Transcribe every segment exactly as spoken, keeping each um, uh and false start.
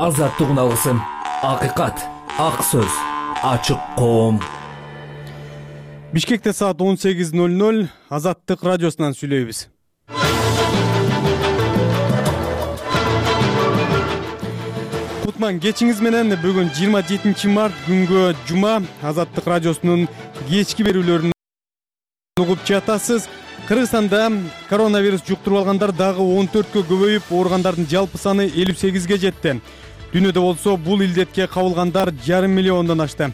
азаттык уналысын, акыйкат, ак сөз, ачык коом. Бишкекте саат он сегиз ноль ноль Азаттык радиосунан сүйлөйбүз. Кутман кечиңиз менен. Бүгүн жыйырма жетинчи март күнгө жума. Азаттык радиосунун кечки берүүлөрүн угуп жатасыз. Кыргызстанда коронавирус жуктуруп алгандар дагы он төрткө көбөйүп, ооругандардын жалпы саны элүү сегизге жетти. Дүйнөдө болсо бул илдетке кабылгандар жарым миллиондон ашты.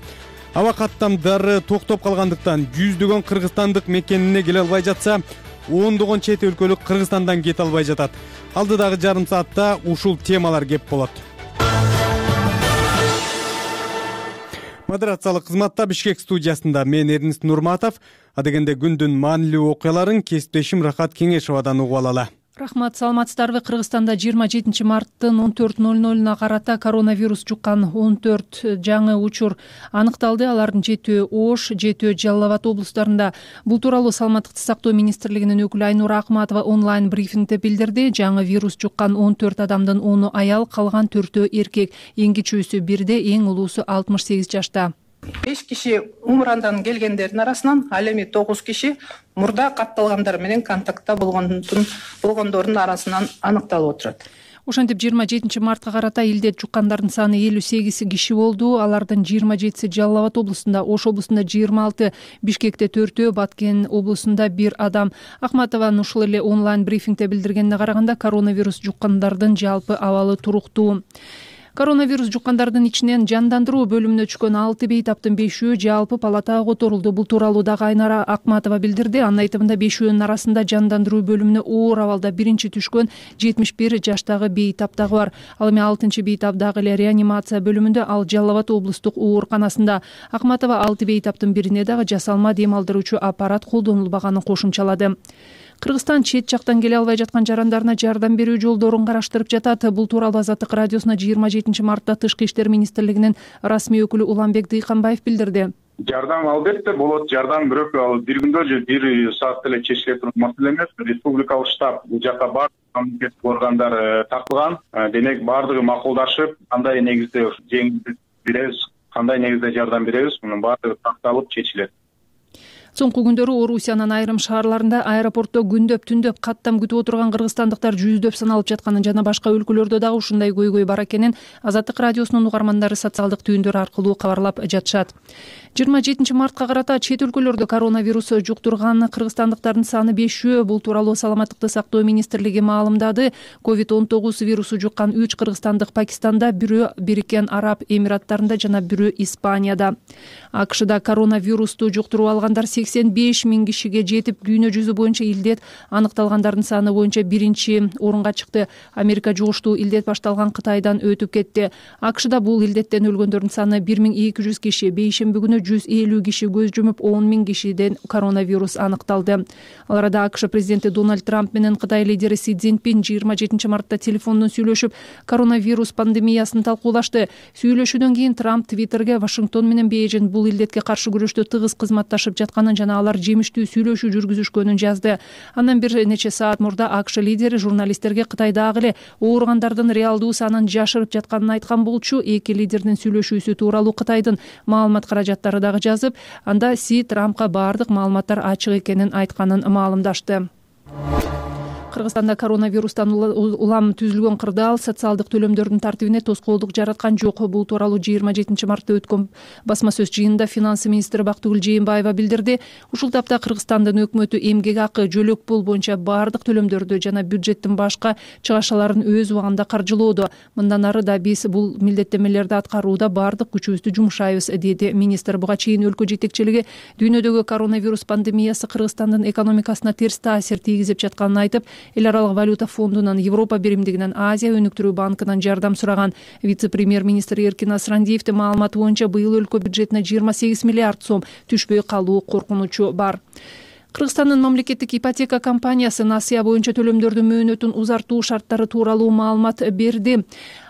Аба каттамдары токтоп калгандыктан жүздөгөн кыргызстандык мекенине келе албай жатса, ондогон чет өлкөлүк Кыргызстандан кете албай жатат. Алдыдагы жарым саатта ушул темалар кеп болот. Модерациялык кызматта Бишкек студиясында мен Эрнис Нурматов. Адегенде күндүн маанилүү окуяларын кесиптешим Рахат Кеңешовадан угуп алалы. Рахмат, саламатсыздарбы? Кыргызстанда жыйырма жетинчи марттын он төрт ноль нолуна карата коронавирус жуккан он төрт жаңы учур аныкталды. Алардын жетөө Ош, жетөө Жалал Абад облустарында. Бул тууралуу Саламаттыкты сактоо министрлигинин өкүлү Айнура Акматова онлайн брифингде билдирди. Жаңы вирус жуккан он төрт адамдын ону аял, калган төртөө эркек. Эң кичүүсү бирде, эң улуусу алтымыш сегиз жашта. беш киши Умурандан келгендердин арасынан ал эми тогуз киши мурда катталгандар менен контактта болгондордун арасынан аныкталып отурат. Ошентип жыйырма жетинчи мартка карата илдет жуккандардын саны элүү сегиз киши болду. Алардын жыйырма жетиси Жалал Абад облусунда, Ош облусунда жыйырма алты, Бишкекте төртөө, Баткен облусунда бир адам. Акматованын ушул эле онлайн брифингде билдиргенине караганда коронавирус жуккандардын жалпы абалы туруктуу. Коронавирус жуккандардын ичинен жандандыруу бөлүмүнө түшкөн алты бейтаптын бешөө жалпы палатага которулду. Бул тууралуу дагы Айнура Акматова билдирди. Анын айтымында бешөөнүн арасында жандандыруу бөлүмүнө оор абалда биринчи түшкөн жетимиш бир жаштагы бейтап дагы бар. Ал эми алтынчы бейтап дагы эле реанимация бөлүмүндө, ал Жалал Абад облустук ооруканасында. Акматова алты бейтаптын бирине дагы жасалма дем алдыруучу аппарат колдонулбаганын кошумчалады. Кыргызстан чет жактан келе албай жаткан жарандарына жардам берүү жолдорун караштырып жатат. Бул тууралуу Азаттык радиосуна жыйырма жетинчи мартта Тышкы иштер министрлигинин расмий өкүлү Уланбек Дыйканбаев билдирди. Жардам албетте болот. Жардам бирок ал бир күндө же бир саатта эле чечиле турган маселе эмес. Республикалык штаб бул жакка баардык мамлекеттик органдар тартылган. Демек баардыгы макулдашып, кандай негизде жеңилдик беребиз, кандай негизде жардам беребиз, мунун баардыгы такталып чечилет. Соңку күндөрү Орусиянын айрым шаарларында аэропортто күндөп түндөп каттам күтүп отурган кыргызстандыктар жүздөп саналып жатканын жана башка өлкөлөрдө дагы ушундай көйгөй бар экенин Азаттык радиосунун угармандары социалдык түйүндөр аркылуу кабарлап жатышат. жыйырма жетинчи мартка карата чет өлкөлөрдө коронавирус жуктурган кыргызстандыктардын саны бешөө. Бул тууралуу Саламаттыкты сактоо министрлиги маалымдады. ковид он тогуз вирусу жуккан үч кыргызстандык Пакистанда, бирөө Бириккен Араб Эмираттарында жана бирөө Испанияда. АКШда коронавирусту жуктуруп алгандар сексен беш миң кишиге жетип, дүйнө жүзү боюнча илдет аныкталгандардын саны боюнча биринчи орунга чыкты. Америка жугуштуу илдет башталган Кытайдан өтүп кетти. АКШда бул илдеттен өлгөндөрдүн саны бир миң эки жүз киши. Бейшемби күнү жүз элүү киши көз жумуп, он миң кишиден коронавирус аныкталды. Ал арада АКШ президенти Дональд Трамп менен Кытай лидери Си Цзиньпин жыйырма жетинчи мартта телефондон сүйлөшүп, коронавирус пандемиясын талкуулашты. Сүйлөшүүдөн кийин Трамп Твиттерге Вашингтон менен Бейжин бул илдетке каршы күрөштө тыгыз кызматташып жатканын жана алар жемиштүү сүйлөшүү жүргүзүшкөнүн жазды. Андан бир нече саат мурда АКШ лидери журналисттерге Кытайдагы эле ооругандардын реалдуу санын жашырып жатканын айткан болчу. Эки лидердин сүйлөшүүсү тууралуу Кытайдын маалымат каражаттары дагы жазып, анда Си Трампка баардык маалыматтар ачык экенин айтканын маалымдашты. Кыргызстанда коронавирустан улам түзүлгөн кырдаал социалдык төлөмдөрдүн тартибине тоскоолдук жараткан жок. Бул тууралуу жыйырма жетинчи мартта өткөн басма сөз жыйынында финанс министри Бактыгүл Жээнбаева билдирди. Ушул тапта Кыргызстандын өкмөтү эмгек акы, жөлөк пул боюнча баардык төлөмдөрдү жана бюджеттин башка чыгашаларын өз убагында каржылоодо. Мындан ары да биз бул милдеттенмелерди аткарууда баардык күчүбүздү жумшайбыз, деди министр. Буга чейин өлкө жетекчилиги дүйнөдөгү коронавирус пандемиясы Кыргызстандын экономикасына терс таасир тийгизип жатканын айтып, эл аралык валюта фондунан, Европа биримдигинен, Азия өнүктүрүү банкынан жардам сураган. Вице-премьер-министр Эркин Асрандиевдин маалыматы боюнча быйыл өлкө бюджетине жыйырма сегиз миллиард сом түшпөй калуу коркунучу бар. Кыргызстандын мамлекеттик ипотека компаниясы насыя боюнча төлөмдөрдүн мөөнөтүн узартуу шарттары тууралуу маалымат берди.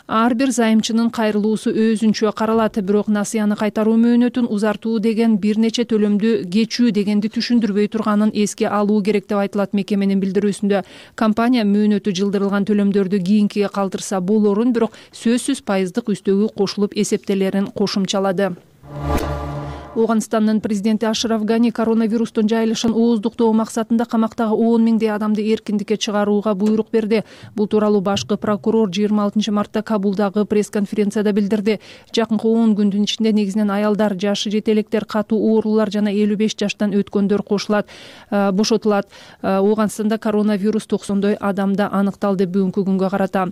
ар бир займчынын кайрылуусу өзүнчө каралат, бирок насыяны кайтаруу мөөнөтүн узартуу деген бир нече төлөмдү кечүү дегенди түшүндүрбөй турганын эске алуу керек деп айтылат мекеменин билдирүүсүндө. Компания мөөнөтү жылдырылган төлөмдөрдү кийинкиге калтырса болорун, бирок сөзсүз пайыздык үстөгү кошулуп эсептелерин кошумчалады. Ооганстандын президенти Ашраф Гани коронавирустун жайылышын ооздуктоо максатында камактагы он миңдей адамды эркиндикке чыгарууга буйрук берди. Бул тууралуу башкы прокурор жыйырма алтынчы мартта Кабулдагы пресс-конференцияда билдирди. Жакынкы он күндүн ичинде негизинен аялдар, жашы жете электер, катуу оорулар жана элүү беш жаштан өткөндөр кошулат, бошотулат. Ооганстанда коронавирус токсондой адамда аныкталды бүгүнкү күнгө карата.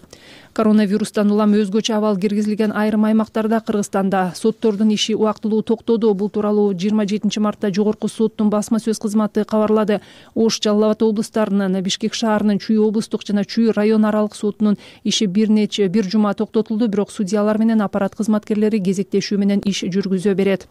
Коронавирустан улам өзгөчө абал киргизилген айрым аймактарда Кыргызстанда соттордун иши убактылуу токтоду. Бул тууралуу жыйырма жетинчи мартта Жогорку соттун басма сөз кызматы кабарлады. Ош, Жалал Абад облустарынын, Бишкек шаарынын Чүй облустук жана Чүй район аралык сотунун иши бир нече бир жума токтотулду, бирок судьялар менен аппарат кызматкерлери кезектешүү менен иш жүргүзө берет.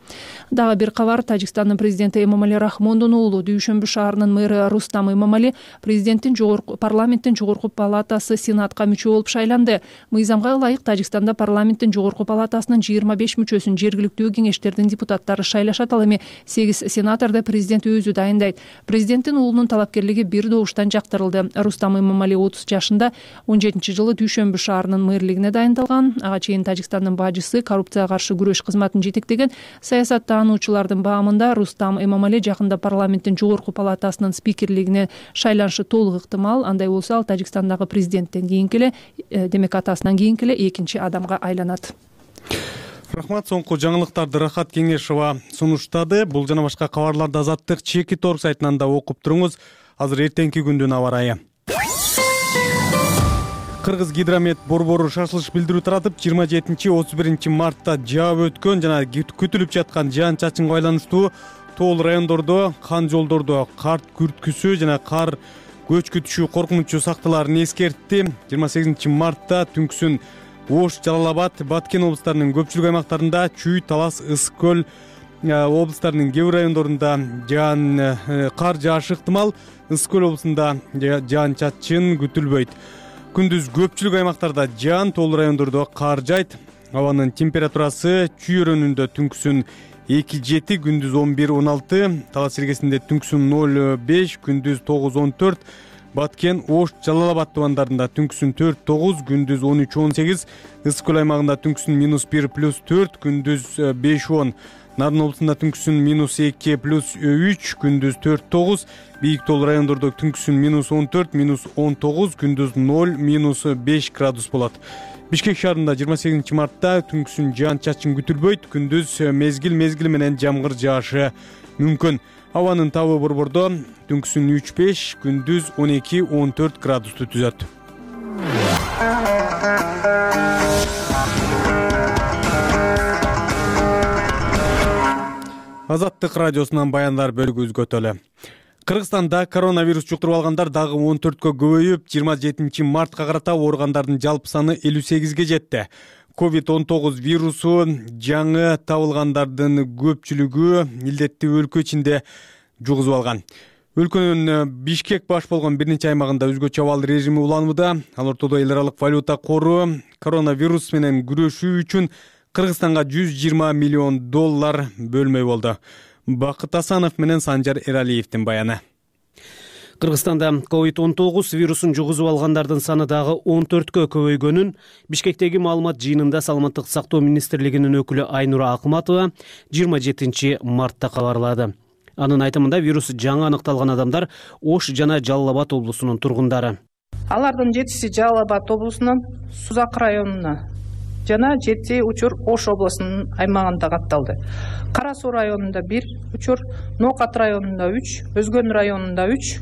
Дагы бир кабар: Тажикстандын президенти Эмомали Рахмондун уулу, Дүйшөмбү шаарынын мэрі Рустам Эмомали президенттин жогорку парламенттин жогорку палатасы сенатка мүчө болуп шайланды. Мыйзамга ылайык Тажикстанда парламенттин жогорку палатасынын жыйырма беш мүчөсүн жергиликтүү кеңештердин депутаттары шайлашат. Ал эми сегиз сенаторду президент өзү дайындайт. Президенттин уулунун талапкерлиги бир добуштан жактырылды. Рустам Эмомали отуз жашында, он жетинчи жылы Дүйшөмбү шаарынын мэрлигине дайындалган. Ага чейин Тажикстандын бажысы, коррупцияга каршы күрөш кызматын жетектеген. Саясаттануучулардын баамында Рустам Эмомали жакында парламенттин жогорку палатасынын спикерлигине шайланышы толук ыктымал. Андай болсо ал Тажикстандагы президенттен кийинки эле, демек атасынан кийинки эле экинчи адамга айланат. Рахмат. Соңку жаңылыктарды Рахат Кеңешова сунуштады. Бул жана башка кабарларды Азаттык чеки торг сайтынан да окуп туруңуз. Азыр эртеңки күндүн аба ырайы. Кыргыз гидромет борбору шашылыш билдирүү таратып, жыйырма жетинчи отуз биринчи мартта жаап өткөн жана күтүлүп жаткан жаан чачынга байланыштуу тоол райондордо, кан жолдордо кар күрткүсү жана кар көчкү түшүү коркунучу сакталаарын эскертти. жыйырма сегизинчи мартта түнкүсүн Ош, Жалал Абад, Баткен облустарынын көпчүлүк аймактарында, Чүй, Талас, Ысык көл облустарынын кээ бир райондорунда жаан кар жаашы ыктымал. Ысык көл облусунда жаан чачын күтүлбөйт. Күндүз көпчүлүк аймактарда жаан, тоол райондордо кар жайт. Абанын температурасы Чүй өрөөнүндө түнкүсүн эки жети, күндүз он бир он алты, Талас илгесинде түнкүсүн ноль беш, күндүз тогуз он төрт, Баткен, Ош, Жалал Абад тубандарында түнкүсүн төрт тогуз, күндүз он үч он сегиз, Ысык көл аймагында түнкүсүн минус бир плюс төрт, күндүз беш он, Нарын облусунда түнкүсүн минус эки плюс үч, күндүз төрт тогуз, бийик тоол райондордо түнкүсүн минус он төрт, минус он тогуз, күндүз ноль, минус беш градус болот. Бишкек шаарында жыйырма сегизинчи мартта түнкүсүн жаан чачын күтүлбөйт, күндүз мезгил мезгил менен жамгыр жаашы мүмкүн. Абанын табы борбордо түнкүсүн үч беш, күндүз он эки он төрт градусту түзөт. Азаттык радиосунан баяндар бөлүгү үзгөтөлү. Кыргызстанда коронавирус жуктуруп алгандар дагы он төрткө көбөйүп, жыйырма жетинчи мартка карата ооругандардын жалпы саны элүү сегизге жетти. ковид он тогуз вирусу жаңы табылгандардын көпчүлүгү илдетти өлкө ичинде жугузуп алган. Өлкөнүн Бишкек баш болгон бир нече аймагында өзгөчө абал режими уланууда. Ал ортодо эл аралык валюта кору коронавирус менен күрөшүү үчүн Кыргызстанга жүз жыйырма миллион доллар бөлмөй болду. Бакыт Асанов менен Санжар Эралиевдин баяны. Кыргызстанда ковид он тогуз вирусун жугузуп алгандардын саны дагы он төрткө көбөйгөнүн Бишкектеги маалымат жыйынында Саламаттык сактоо министрлигинин өкүлү Айнура Акматова жыйырма жетинчи мартта кабарлады. Анын айтымында вирус жаңы аныкталган адамдар Ош жана Жалал Абад облусунун тургундары. Алардын жетиси Жалал Абад облусунун Сузак районуна жана жети учур Ош облусунун аймагында катталды. Кара Суу районунда бир учур, Ноокат районунда үч, Өзгөн районунда үч,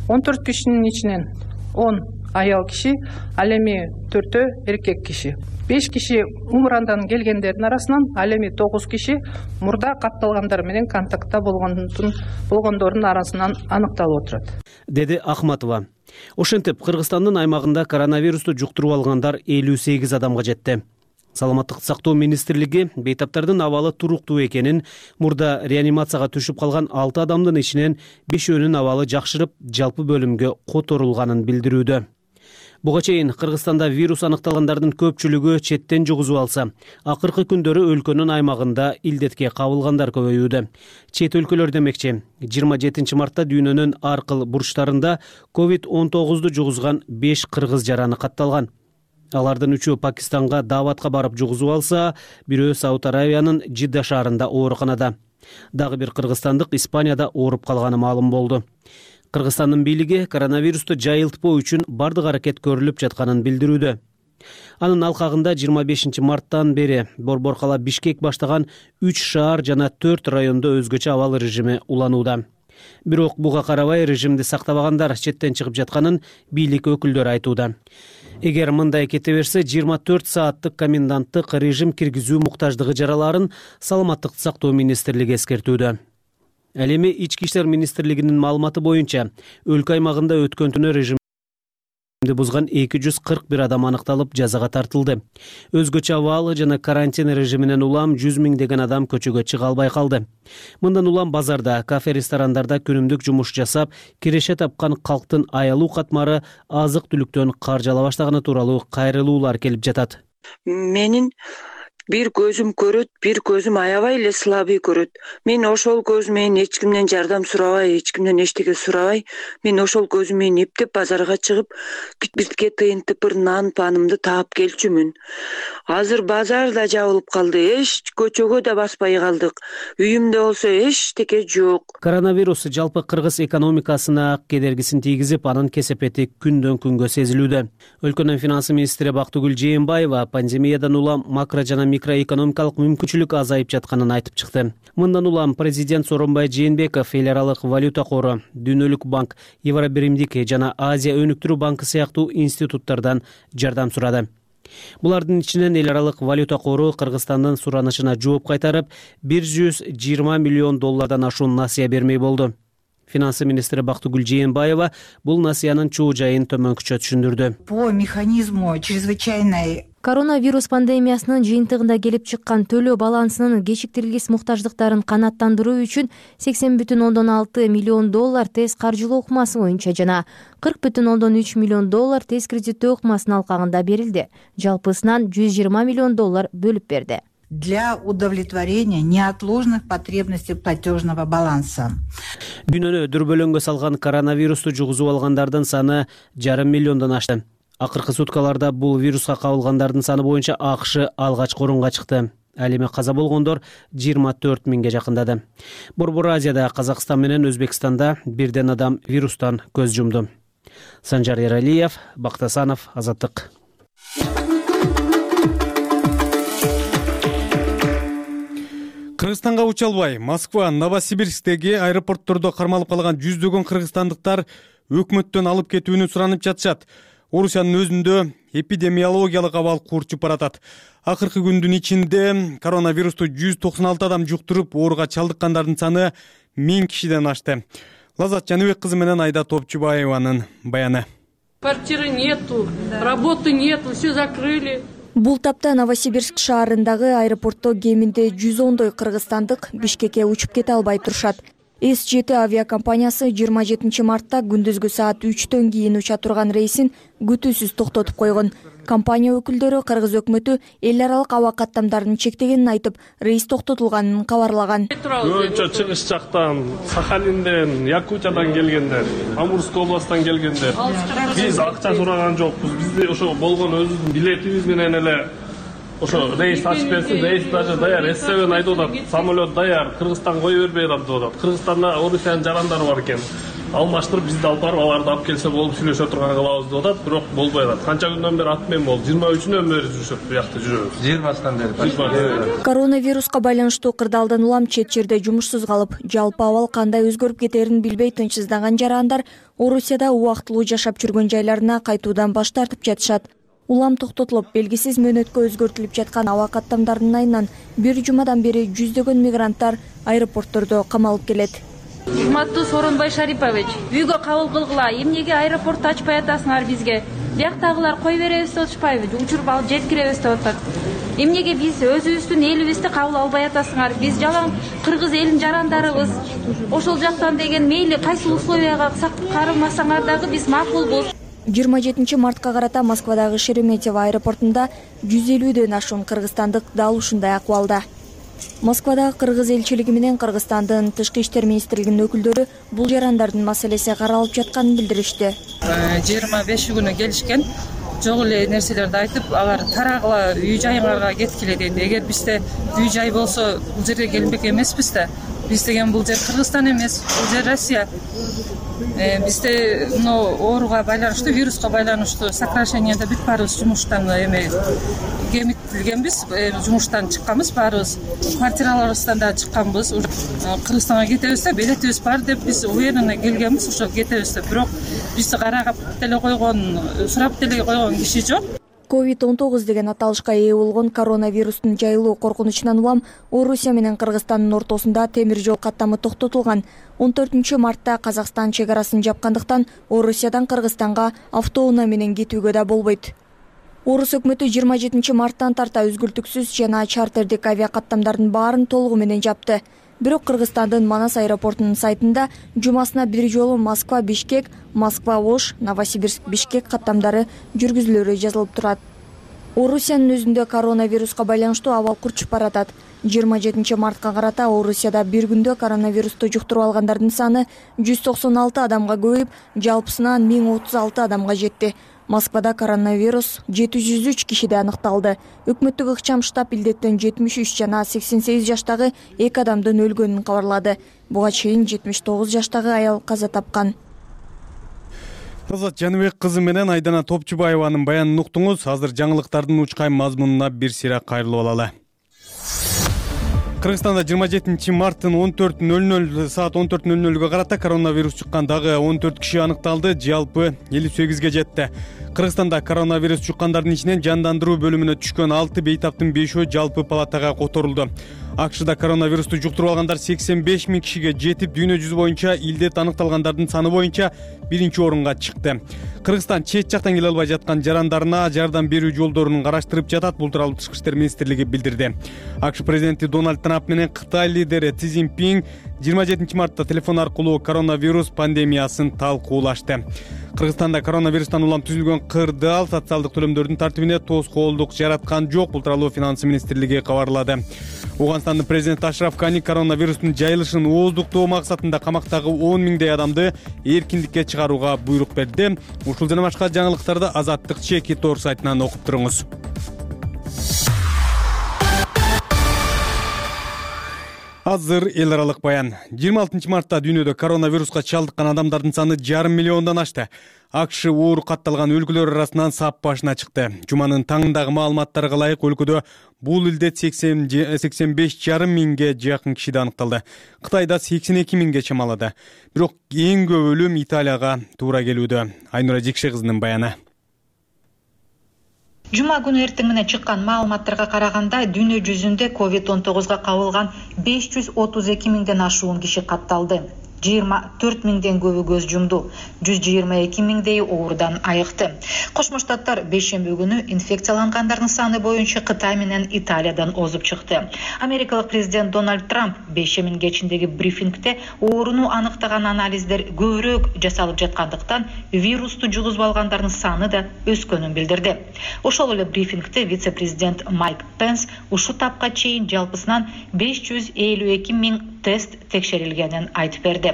он төрт кишинин ичинен он аял киши, ал эми төртөө эркек киши. беш киши Умурандан келгендердин арасынан, ал эми тогуз киши мурда катталгандар менен контактта болгондордун арасынан аныкталып отурат, деди Акматова. Ошентип, Кыргызстандын аймагында коронавирусту жуктуруп алгандар элүү сегиз адамга жетти. Саламаттык сактоо министрлиги бейтаптардын абалы туруктуу экенин, мурда реанимацияга түшүп калган алты адамдын ичинен бешөөнүн абалы жакшырып, жалпы бөлүмгө которулганын билдирүүдө. Буга чейин Кыргызстанда вирус аныкталгандардын көпчүлүгү четтен жугузуп алса, акыркы күндөрү өлкөнүн аймагында илдетке кабылгандар көбөйүүдө. Чет өлкөлөр демекчи, жыйырма жетинчи мартта дүйнөнүн ар кыл бурчтарында ковид он тогузду жугузган беш кыргыз жараны катталган. Алардын үчөө Пакистанга дааватка барып жугузуп алса, бирөө Сауд Аравиянын Жидда шаарында ооруканада. Дагы бир кыргызстандык Испанияда ооруп калганы маалым болду. Кыргызстандын бийлиги коронавирусту жайылтпоо үчүн бардык аракет көрүлүп жатканын билдирүүдө. Анын алкагында жыйырма бешинчи марттан бери Борбор кала Бишкек баштаган үч шаар жана төрт райондо өзгөчө абал режими уланууда. Бирок буга карабай режимди сактабагандар четтен чыгып жатканын бийлик өкүлдөрү айтууда. Эгер мындай кете берсе, жыйырма төрт сааттык коменданттык режим киргизүү муктаждыгы жаралаарын Саламаттыкты сактоо министрлиги эскертүүдө. Ал эми Ички иштер министрлигинин маалыматы боюнча, өлкө аймагында өткөн түнү режимди бузган эки жүз кырк бир адам аныкталып, жазага тартылды. Өзгөчө абал жана карантин режиминен улам жүз миңдеген адам көчөгө чыга албай калды. Мындан улам базарда, кафе, ресторандарда күнүмдүк жумуш жасап, киреше тапкан калктын аялуу катмары азык-түлүктөн карж ала баштаганы тууралуу кайрылуулар келип жатат. Менин бир көзүм көрөт, бир көзүм аябай эле слабый көрөт. Мен ошол көз менен эч кимден жардам сурабай, эч кимден эчтеке сурабай, мен ошол көзүм менен эптеп базарга чыгып, бизге тыйын тыпыр нан панымды таап келчүмүн. Азыр базар да жабылып калды, эч көчөгө да баспай калдык. Үйүмдө болсо эчтеке жок. Коронавирус жалпы кыргыз экономикасына кедергисин тийгизип, анын кесепети күндөн күнгө сезилүүдө. Өлкөнүн финансы министри Бактыгүл Жээнбаева пандемиядан улам макро жана микроэкономикалык мүмкүнчүлүк азайып жатканын айтып чыкты. Мындан улам президент Сооронбай Жээнбеков эл аралык валюта кору, Дүйнөлүк банк, Евробиримдик жана Азия өнүктүрүү банкы сыяктуу институттардан жардам сурады. Булардын ичинен эл аралык валюта кору Кыргызстандын суранышына жооп кайтарып, бир жүз жыйырма миллион доллардан ашуун насыя бермей болду. Финансы министри Бактыгүл Жээнбаева бул насыянын чоо жайын төмөнкүчө түшүндүрдү. По механизму чрезвычайной Коронавирус пандемиясынын жыйынтыгында келип чыккан төлөө балансынын кечиктирилгис муктаждыктарын канааттандыруу үчүн сексен бүтүн ондон алты миллион доллар тез каржылоо ыкмасы боюнча жана кырк бүтүн ондон үч миллион доллар тез кредиттөө ыкмасынын алкагында берилди. Жалпысынан жүз жыйырма миллион доллар бөлүп берди. Для удовлетворения неотложных потребностей платежного баланса. Дүйнөнү дүрбөлөңгө салган коронавирусту жугузуп алгандардын саны жарым миллиондон ашты. Акыркы суткаларда бул вируска кабылгандардын саны боюнча АКШ алгачкы орунга чыкты. Ал эми каза болгондор жыйырма төрт миңге жакындады. Борбор Азияда Казакстан менен Өзбекстанда бирден адам вирустан көз жумду. Санжар Эралиев, Бактасанов, Азаттык. Кыргызстанга уча албай, Москва, Новосибирсктеги аэропорттордо кармалып калган жүздөгөн кыргызстандыктар өкмөттөн алып кетүүнү суранып жатышат. Орусиянын өзүндө эпидемиологиялык абал курчуп баратат. Акыркы күндүн ичинде коронавирусту жүз токсон алты адам жуктуруп, ооруга чалдыккандардын саны миң кишиден ашты. Лазат Жаныбек кызы менен Айда Топчубаеванын баяны. Квартиры нету, работы нету, все закрыли. Бул тапта Новосибирск шаарындагы аэропортто кеминде жүз ондой кыргызстандык Бишкекке учуп кете албай турушат. эс жети авиакомпаниясы жыйырма жетинчи мартта күндүзгү саат үчтөн кийин уча турган рейсин күтүүсүз токтотуп койгон. Компания өкүлдөрү кыргыз өкмөтү эл аралык аба каттамдарын чектегенин айтып, рейс токтотулганын кабарлаган. Көбүнчө чыгыш жактан, Сахалинден, Якутиядан келгендер, Амурской областтан келгендер. Биз акча сураган жокпуз. Бизде ошо болгон өзүбүздүн билетибиз менен эле ошо рейс ачып берсин, рейс даже даяр, эс себен айтып атат, самолет даяр, Кыргызстанга кое бербей атат деп атат. Кыргызстанда Орусиянын жарандары бар экен. Алмаштырып бизди алып барып аларды алып келсе болуп сүйлөшө турган кылабыз деп атат, бирок болбой атат. Канча күндөн бери ат менен болду? жыйырма үчүнөн бери жүрүшөт, буякта жүрөбүз. жыйырмасынан бери. Коронавируска байланыштуу кырдаалдан улам чет жерде жумушсуз калып, жалпы абал кандай өзгөрүп кетерин билбей тынчсыздаган жарандар Орусияда убактылуу жашап жүргөн жайларына кайтуудан баш тартып жатышат. Улам токтотулуп, белгисиз мөөнөткө өзгөртүлүп жаткан аба каттамдарынын айынан бир жумадан бери жүздөгөн мигранттар аэропорттордо камалып келет. Урматтуу Сооронбай Шарипович, үйгө кабыл кылгыла, эмнеге аэропортду ачпай атасыңар бизге? Бияктагылар кой беребиз деп атышпайбы, учуруп алып жеткиребиз деп атат. Эмнеге биз өзүбүздүн элибизди кабыл албай атасыңар? Биз жалаң кыргыз элинин жарандарыбыз. Ошол жактан деген мейли кайсы условияга кармасаңар дагы биз макулбуз. жыйырма жетинчи мартка карата Москвадагы Шереметьево аэропортунда жүз элүүдөн ашуун кыргызстандык дал ушундай акыбалда. Москвадагы кыргыз элчилиги менен Кыргызстандын тышкы иштер министрлигинин өкүлдөрү бул жарандардын маселеси каралып жатканын билдиришти. жыйырма беши күнү келишкен, жок эле нерселерди айтып, алар тарагыла үй жайларга кеткиле дейт. Эгер бизде үй жай болсо, бул жерге келбек эмеспиз да. Биз деген бул жер Кыргызстан эмес, бул жер Россия. Бизде мына ооруга байланыштуу, вируска байланыштуу сокращениеде бүт баарыбыз жумуштан эме кемитилгенбиз, жумуштан чыкканбыз баарыбыз, квартираларыбыздан да чыкканбыз. Кыргызстанга кетебиз да, билетибиз бар деп биз уверенно келгенбиз, ошо кетебиз деп. Бирок бизди карап деле койгон, сурап деле койгон киши жок. ковид он тогуз деген аталышка ээ болгон коронавирустун жайылуу коркунучунан улам Орусия менен Кыргызстандын ортосунда темир жол каттамы токтотулган. он төртүнчү мартта Казакстан чек арасын жапкандыктан Орусиядан Кыргызстанга автоунаа менен кетүүгө да болбойт. Орус өкмөтү жыйырма жетинчи марттан тарта үзгүлтүксүз жана чартердик авиа каттамдардын баарын толугу менен жапты. Бирок Кыргызстандын Манас аэропортунун сайтында жумасына бир жолу Москва Бишкек, Москва Ош, Новосибирск Бишкек каттамдары жүргүзүлөрү жазылып турат. Орусиянын өзүндө коронавируска байланыштуу абал курчуп баратат. жыйырма жетинчи мартка карата Орусияда бир күндө коронавирусту жуктуруп алгандардын саны жүз токсон алты адамга көбөйүп, жалпысынан миң отуз алты адамга жетти. Москвада коронавирус жети жүз үч кишиде аныкталды. Өкмөттүк ыкчам штаб илдеттен жетимиш үч жана сексен сегиз жаштагы эки адамдын өлгөнүн кабарлады. Буга чейин жетимиш тогуз жаштагы аял каза тапкан. Азат Жаныбек кызы менен Айдана Топчубаеванын баянын уктуңуз. Азыр жаңылыктардын учкай мазмунуна бир сыйра кайрылып алалы. Кыргызстанда жыйырма жетинчи марттын он төрт нөл нөл саат он төрт нөл нөлгө карата коронавирус чыккан дагы он төрт киши аныкталды, жалпы элүү сегизге жетти. Кыргызстанда коронавирус чуккандардын ичинен жандандыруу бөлүмүнө түшкөн алты бейтаптын бешөө жалпы палатага которулду. АКШда коронавирусту жуктуруп алгандар сексен беш миң кишиге жетип, дүйнө жүзү боюнча илдет аныкталгандардын саны боюнча биринчи орунга чыкты. Кыргызстан чет жактан келе албай жаткан жарандарына жардам берүү жолдорун караштырып жатат. Бул тууралуу Тышкы иштер министрлиги билдирди. АКШ президенти Дональд Трамп менен Кытай лидери Си Цзиньпин жыйырма жетинчи мартта телефон аркылуу коронавирус пандемиясын талкуулашты. Кыргызстанда коронавирустан улам түзүлгөн кырдаал социалдык төлөмдөрдүн тартибине тоскоолдук жараткан жок. Бул тууралуу Финансы министрлиги кабарлады. Уганстандын президенти Ашраф Гани коронавирустун жайылышын ооздуктоо максатында камактагы он миңдей адамды эркиндикке чыгарууга буйрук берди. Ушул жана башка жаңылыктарды Азаттык Чеки тор сайтынан окуп туруңуз. Азыр эл аралык баян. жыйырма алтынчы мартта дүйнөдө коронавируска чалдыккан адамдардын саны жарым миллиондон ашты. АКШ оор катталган өлкөлөр арасынан сап башына чыкты. Жуманын таңындагы маалыматтарга ылайык өлкөдө бул илдет сексен беш жарым миңге жакын кишиде аныкталды. Кытайда сексен эки миңге чамалады. Бирок эң көп өлүм Италияга туура келүүдө. Айнура Жекше кызынын баяны. Жума күнү эртең менен чыккан маалыматтарга караганда дүйнө жүзүндө ковид он тогузга кабылган беш жүз отуз эки миңден ашуун киши катталды. жыйырма төрт миңден көбү көз жумду. жүз жыйырма эки миңдей оорудан айыкты. Кошмо Штаттар бейшемби күнү инфекциялангандардын саны боюнча Кытай менен Италиядан озуп чыкты. Америкалык президент Дональд Трамп бейшембинин кечиндеги брифингде ооруну аныктаган анализдер көбүрөөк жасалып жаткандыктан вирусту жугузуп алгандардын саны да өскөнүн билдирди. Ошол эле брифингде вице-президент Майк Пенс ушул тапка чейин жалпысынан беш жүз элүү эки миң тест текшерилгенин айтып берди.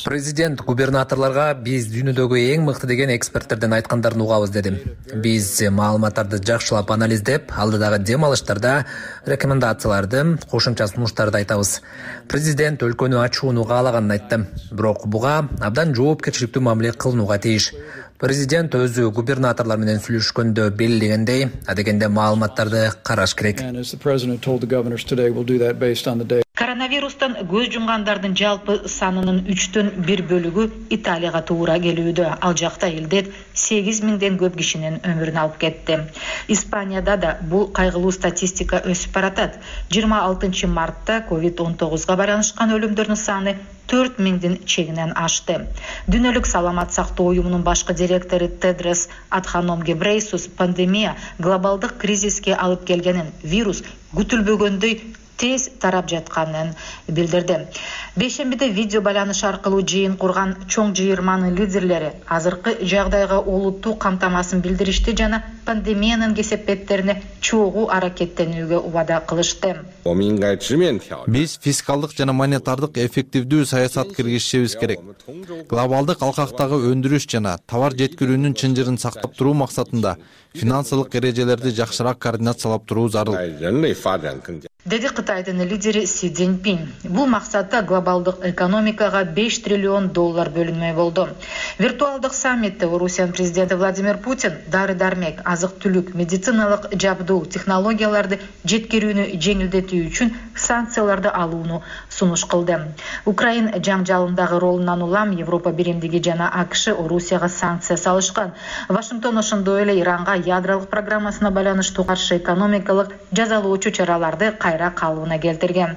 Президент губернаторлорго биз дүйнөдөгү эң мыкты деген эксперттерден айткандарын угабыз деди. Биз маалыматтарды жакшылап анализдеп, алдыдагы дем алыштарда рекомендацияларды, кошумча сунуштарды айтабыз. Президент өлкөнү ачууну каалаганын айтты. Бирок буга абдан жоопкерчиликтүү мамиле кылынууга тийиш. Президент өзү губернаторлор менен сүйлөшкөндө белгилегендей, адегенде маалыматтарды караш керек. Коронавирустан көз жумгандардын жалпы санынын үчтөн бир бөлүгү Италияга туура келүүдө. Ал жакта илдет сегиз миңден көп кишинин өмүрүн алып кетти. Испанияда да бул кайгылуу статистика өсүп баратат. жыйырма алтынчы мартта ковид он тогузга байланышкан өлүмдөрдүн саны төрт миңдин чегинен ашты. Дүйнөлүк саламат сактоо уюмунун башкы директору Тедрос Адханом Гебрейсус пандемия глобалдык кризиске алып келгенин, вирус күтүлбөгөндөй тез тарап жатканын билдирди. Бейшембиде видео байланыш аркылуу жыйын курган чоң жыйырманын лидерлери азыркы жагдайга олуттуу камтамасын билдиришти жана пандемиянын кесепеттерине чогуу аракеттенүүгө убада кылышты. Биз фискалдык жана монетардык эффективдүү саясат киргизишибиз керек. Глобалдык алкактагы өндүрүш жана товар жеткирүүнүн чынжырын сактап туруу максатында финансылык эрежелерди жакшыраак координациялап туруу зарыл, деди Кытайдын лидери Си Цзиньпин. Бул максатта глобалдык экономикага беш триллион доллар бөлүнмөй болду. Виртуалдык саммитте Орусиянын президенти Владимир Путин дары-дармек, азык-түлүк, медициналык жабдуу технологияларды жеткирүүнү жеңилдетүү үчүн санкцияларды алууну сунуш кылды. Украина жаңжалындагы ролунан улам Европа биримдиги жана АКШ Орусияга санкция салышкан. Вашингтон ошондой эле Иранга ядролук программасына байланыштуу каршы экономикалык жазалоочу чараларды кайра калыбына келтирген.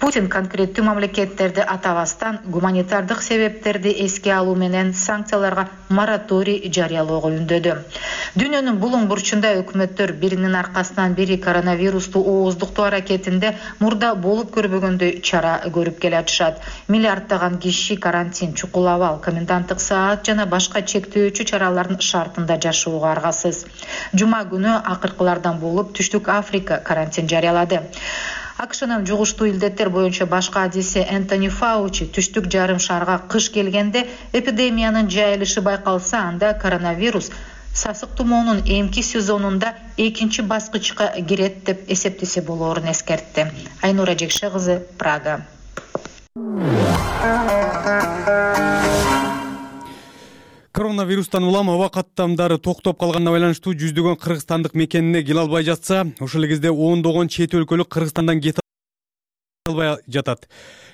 Путин конкреттүү мамлекеттерди атабастан гуманитардык себептерди эске алуу менен санкцияларга мораторий жарыялоого үндөдү. Дүйнөнүн булуң бурчунда өкмөттөр биринин аркасынан бири коронавирусту ооздуктоо аракетинде мурда болуп көрбөгөндөй чара көрүп келатышат. Миллиарддаган киши карантин, чукул абал, коменданттык саат жана башка чектөөчү чаралардын шартында жашоого аргасыз. Жума күнү акыркылардан болуп Түштүк Африка карантин жарыялады. АКШнын жугуштуу илдеттер боюнча башкы адиси Энтони Фаучи түштүк жарым шарга кыш келгенде эпидемиянын жайылышы байкалса, анда коронавирус сасык тумоонун эмки сезонунда экинчи баскычка кирет деп эсептесе болоорун эскертти. Айнура Жекше кызы, Прага. Коронавирустан улам аба каттамдары токтоп калганына байланыштуу жүздөгөн кыргызстандык мекенине келе албай жатса, ошол эле кезде ондогон чет өлкөлүк Кыргызстандан кете албай жатат.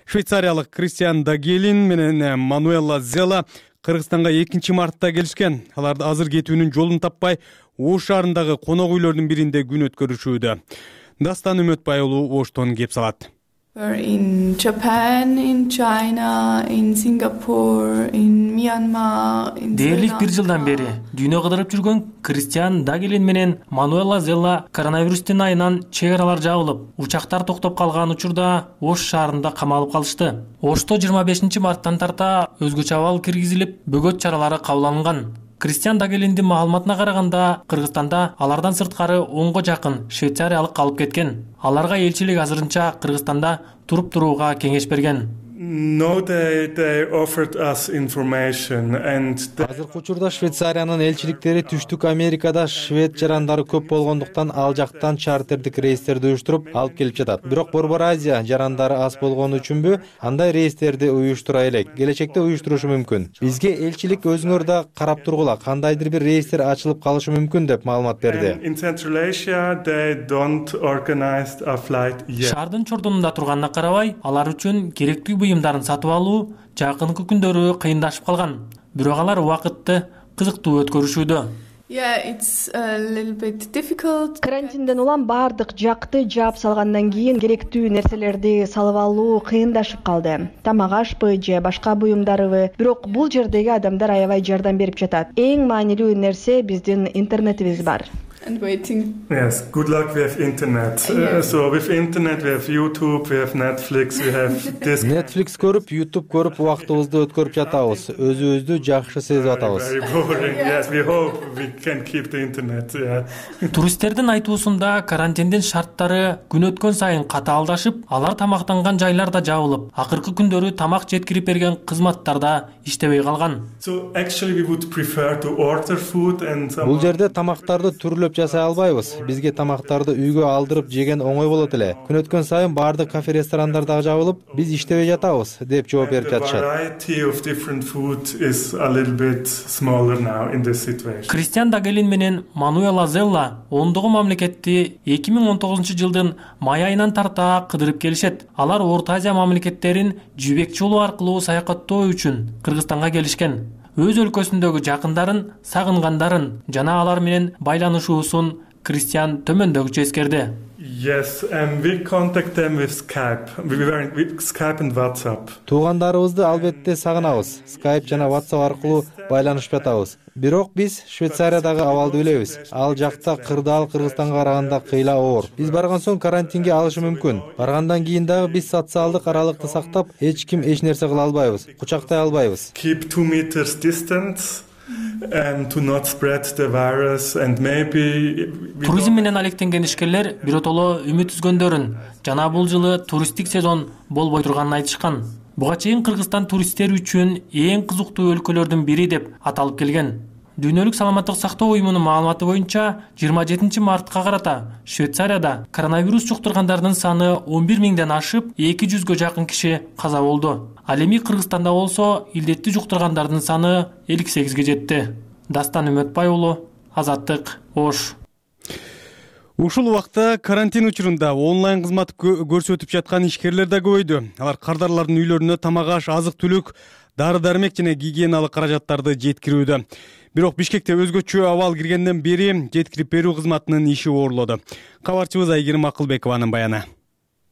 Швейцариялык Кристиан Дагелин менен Мануэла Зела Кыргызстанга экинчи мартта келишкен. Алар азыр кетүүнүн жолун таппай, Ош шаарындагы конок үйлөрдүн биринде күн өткөрүшүүдө. Дастан Үмөтбай уулу Оштон кеп салат. In Japan, in China, in Singapore, in Myanmar, in Дээрлик бир жылдан бери дүйнө кыдырып жүргөн Кристиан Дагелин менен Мануэла Зелла коронавирустун айынан чек аралар жабылып, учактар токтоп калган учурда Ош шаарында камалып калышты. Ошто жыйырма бешинчи марттан тарта өзгөчө абал киргизилип, бөгөт чаралары кабыл алынган. Кристиан Дагелиндин маалыматына караганда, Кыргызстанда алардан сырткары онго жакын швейцариялык калып кеткен. Аларга элчилик азырынча Кыргызстанда туруп турууга кеңеш берген. No, they, they offered us information and азыркы учурда Швейцариянын элчиликтери Түштүк Америкада швед жарандары көп болгондуктан ал жактан чартердик рейстерди уюштуруп алып келип жатат. Бирок Борбор Азия жарандары аз болгону үчүнбү андай рейстерди уюштура элек. Келечекте уюштурушу мүмкүн. Бизге элчилик өзүңөр да карап тургула, кандайдыр бир рейстер ачылып калышы мүмкүн деп маалымат берди. In Central Asia they don't organize a flight yet. Шаардын чордунунда турганына карабай, алар үчүн керектүү буюмдарын сатып алуу жакынкы күндөрү кыйындашып калган. Бирок алар убакытты кызыктуу өткөрүшүүдө. Yeah, it's a little bit difficult. Карантинден улам бардык жакты жаап салгандан кийин керектүү нерселерди салып алуу кыйындашып калды. Тамак ашпы же башка буюмдарыбы. Бирок бул жердеги адамдар аябай жардам берип жатат. Эң маанилүү нерсе биздин интернетибиз бар. And waiting. Yes, good luck, we have internet. Uh, so with internet we have YouTube, we have Netflix, we have this. Netflix көрүп, YouTube көрүп убактыбызды өткөрүп жатабыз. Өзүбүздү жакшы сезип атабыз. Very boring. Yes, we hope we can keep the internet. Yeah. Туристтердин айтуусунда карантиндин шарттары күн өткөн сайын катаалдашып, алар тамактанган жайлар да жабылып, акыркы күндөрү тамак жеткирип берген кызматтар да иштебей калган. So actually we would prefer to order food and Бул жерде тамактарды түрлөп жасай албайбыз. Бизге тамактарды үйгө алдырып жеген оңой болот эле. Күн өткөн сайын бардык кафе ресторандар дагы жабылып, биз иштебей жатабыз деп жооп берип жатышат. Кристиан Дагелин менен Мануэла Зелла ондогу мамлекетти эки миң он тогузунчу жылдын май айынан тарта кыдырып келишет. Алар Орто Азия мамлекеттерин жибек жолу аркылуу саякаттоо үчүн Кыргызстанга келишкен. Өз өлкөсүндөгү жакындарын, сагынгандарын жана алар менен байланышуусун Кристиан төмөндөгүчө эскерди. Yes, and we contact them with Skype. We were with Skype and WhatsApp. Туугандарыбызды албетте сагынабыз. Skype жана WhatsApp аркылуу байланышып жатабыз. Бирок биз Швейцариядагы абалды билебиз. Ал жакта кырдаал Кыргызстанга караганда кыйла оор. Биз барган соң карантинге алышы мүмкүн. Баргандан кийин дагы биз социалдык аралыкты сактап, эч ким эч нерсе кыла албайбыз, кучактай албайбыз. Keep two meters distance and to not spread the virus and maybe туризм менен алектенген ишкерлер биротоло үмүт үзгөндөрүн жана бул жылы туристтик сезон болбой турганын айтышкан. Буга чейин Кыргызстан туристтер үчүн эң кызыктуу өлкөлөрдүн бири деп аталып келген. Дүйнөлүк саламаттык сактоо уюмунун маалыматы боюнча жыйырма жетинчи мартка карата Швейцарияда коронавирус жуктургандардын саны он бир миңден ашып, эки жүзгө жакын киши каза болду. Ал эми Кыргызстанда болсо илдетти жуктургандардын саны элүү сегизге жетти. Дастан Үмөтбай уулу, Азаттык, Ош. Ушул убакта карантин учурунда онлайн кызмат көрсөтүп жаткан ишкерлер да көбөйдү. Алар кардарлардын үйлөрүнө тамак аш, азык-түлүк, дары-дармек жана гигиеналык каражаттарды жеткирүүдө. Бирок Бишкекте өзгөчө абал киргенден бери жеткирип берүү кызматынын иши оорлоду. Кабарчыбыз Айгерим Акылбекованын баяны.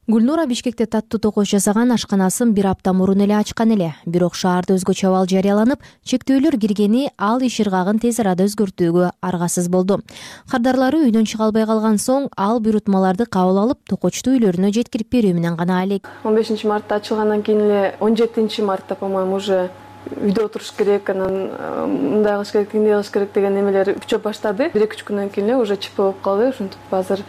Гүлнура Бишкекте таттуу токош жасаган ашканасын бир апта мурун эле ачкан эле. Бирок шаарда өзгөчө абал жарыяланып, чектөөлөр киргени ал иш ыргагын тез арада өзгөртүүгө аргасыз болду. Кардарлары үйдөн чыга албай калган соң ал буйрутмаларды кабыл алып, токочту үйлөрүнө жеткирип берүү менен гана алек. он бешинчи мартта ачылгандан кийин эле он жетинчи мартта, по-моему, уже үйдө отуруш керек, анан мындай кылыш керек, тигиндей кылыш керек деген немелер күчөп баштады. бир эки үч күндөн кийин эле уже чип болуп калды. Ошентип азыр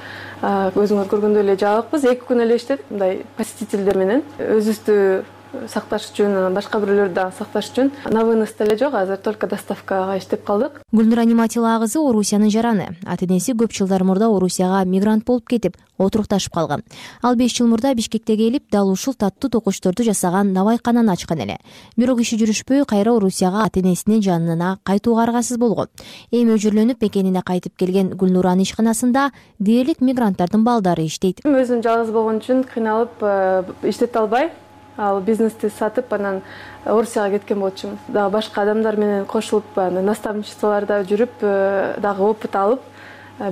өзүңөр көргөндөй эле жабыкпыз. эки күн эле иштедик мындай посетительдер менен. Өзүбүздү сакташ үчүн, анан башка бирөөлөрдү дагы сакташ үчүн на вынос деле жок, азыр только доставкага иштеп калдык. Гүлнура Ниматилова кызы Орусиянын жараны. Ата-энеси көп жылдар мурда Орусияга мигрант болуп кетип, отурукташып калган. Ал беш жыл мурда Бишкекке келип, дал ушул таттуу токочторду жасаган навайкананы ачкан эле. Бирок иши жүрүшпөй, кайра Орусияга ата-энесинин жанына кайтууга аргасыз болгон. Эми өжүрлөнүп мекенине кайтып келген Гүлнуранын ишканасында дээрлик мигранттардын балдары иштейт. Өзүм жалгыз болгон үчүн кыйналып иштете албай, ал бизнести сатып, анан Орусияга кеткен болчумун. Дагы башка адамдар менен кошулуп, наставничестволордо жүрүп, дагы опыт алып,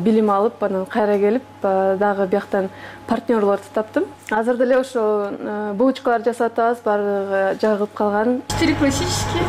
билим алып, анан кайра келип, дагы бияктан партнерлорду таптым. Азыр деле ошо булочкалар жасап атабыз, баардыгы жагып калган. Четыре классические,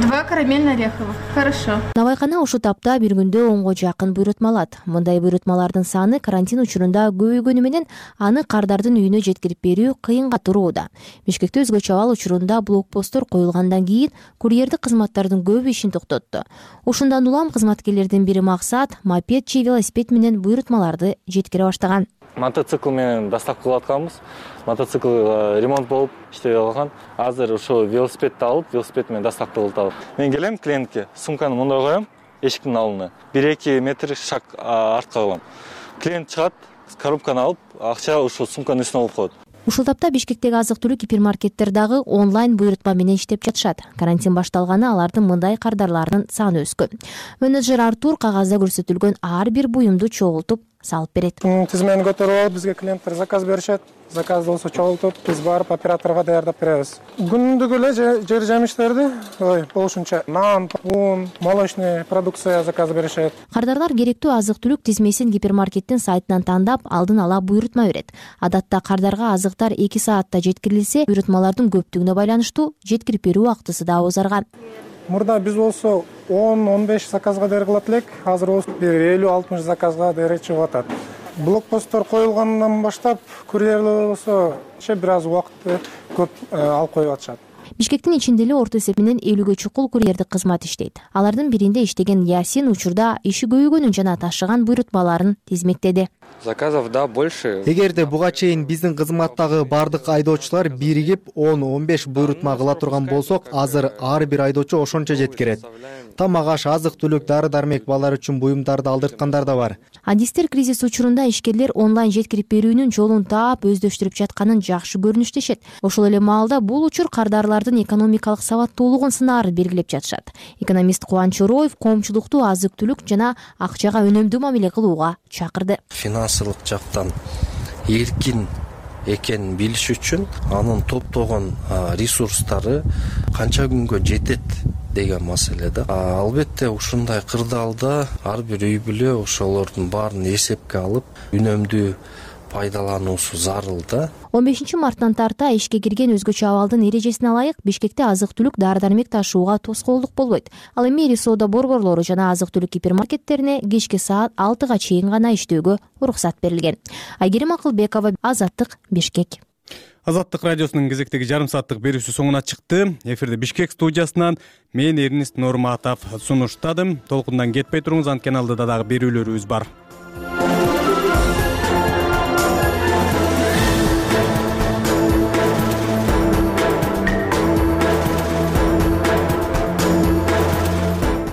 два карамельно-ореховых. Хорошо. Навайкана ушул тапта бир күндө онго жакын буйрутма алат. Мындай буйрутмалардын саны карантин учурунда көбөйгөнү менен аны кардардын үйүнө жеткирип берүү кыйынга турууда. Бишкекте өзгөчө абал учурунда блокпосттор коюлгандан кийин курьердик кызматтардын көбү ишин токтотту. Ушундан улам кызматкерлердин бири максат мопед же велосипед менен буйрутмаларды жеткире баштаган. Мотоцикл менен доставка кылып атканбыз. Мотоцикл ремонт болуп иштебей калган. Азыр ошо велосипедди алып, велосипед менен доставка кылып атабыз. Мен келем клиентке, сумканы мындай коем, эшиктин алдына. бир эки метр шаг артка коем. Клиент чыгат, коробканы алып, акча ошо сумканын үстүнө алып коет. Ушул тапта Бишкектеги азык-түлүк гипермаркеттер дагы онлайн буйрутма менен иштеп жатышат. Карантин башталганы алардын мындай кардарларынын саны өскөн. Менеджер Артур кагазда көрсөтүлгөн ар бир буюмду чогултуп салып берет. Тизмени көтөрүп алып, бизге клиенттер заказ беришет. Заказды болсо чогултуп, биз барып операторго даярдап беребиз. Күндүк эле жер жемиштерди, ой, болушунча нан, ун, молочный продукция заказ беришет. Кардарлар керектүү азык-түлүк тизмесин гипермаркеттин сайтынан тандап, алдын ала буйрутма берет. Адатта кардарга азыктар эки саатта жеткирилсе, буйрутмалардын көптүгүнө байланыштуу жеткирип берүү убактысы да узарган. Мурда биз болсо он он беш заказга дээр кылат элек, азыр болсо бир элүү алтымыш заказга дээр чыгып атат. Блокпосттор коюлгандан баштап курьерлер болсо бир аз убакытты көп алып коюп атышат. Бишкектин ичинде эле орто эсеп менен элүүгө чукул курьердик кызмат иштейт. Алардын биринде иштеген Ясин учурда иши көбөйгөнүн жана ташыган буйрутмаларын тизмектеди. Заказов да больше. Эгерде буга чейин биздин кызматтагы бардык айдоочулар биригип он он беш буйрутма кыла турган болсок, азыр ар бир айдоочу ошончо жеткирет. Тамак аш, азык-түлүк, дары-дармек, балдар үчүн буюмдарды алдырткандар да бар. Адистер кризис учурунда ишкерлер онлайн жеткирип берүүнүн жолун таап өздөштүрүп жатканын жакшы көрүнүштешет. Ошол эле маалда бул учур кардарлардын экономикалык сабаттуулугун сынаар белгилеп жатышат. Экономист Кубанч Чороев коомчулукту азык-түлүк жана акчага өнөмдүү мамиле кылууга чакырды. Финансылык жактан эркин экенин билиш үчүн анын топтогон ресурстары канча күнгө жетет деген маселе да. Албетте ушундай кырдаалда ар бир үй бүлө ошолордун баарын эсепке алып үнөмдүү пайдалануусу зарыл да. он бешинчи марттан тарта ишке кирген өзгөчө абалдын эрежесине ылайык Бишкекте азык-түлүк дары-дармек ташууга тоскоолдук болбойт. Ал эми ири соода борборлору жана азык-түлүк гипермаркеттерине кечки саат алтыга чейин гана иштөөгө уруксат берилген. Айгерим Акылбекова, Азаттык, Бишкек. Азаттык радиосунун кезектеги жарым сааттык берүүсү соңуна чыкты. Эфирде Бишкек студиясынан мен Эрнист Норматов сунуштадым. Толкундан кетпей туруңуз, анткени алдыда дагы берүүлөрүбүз бар.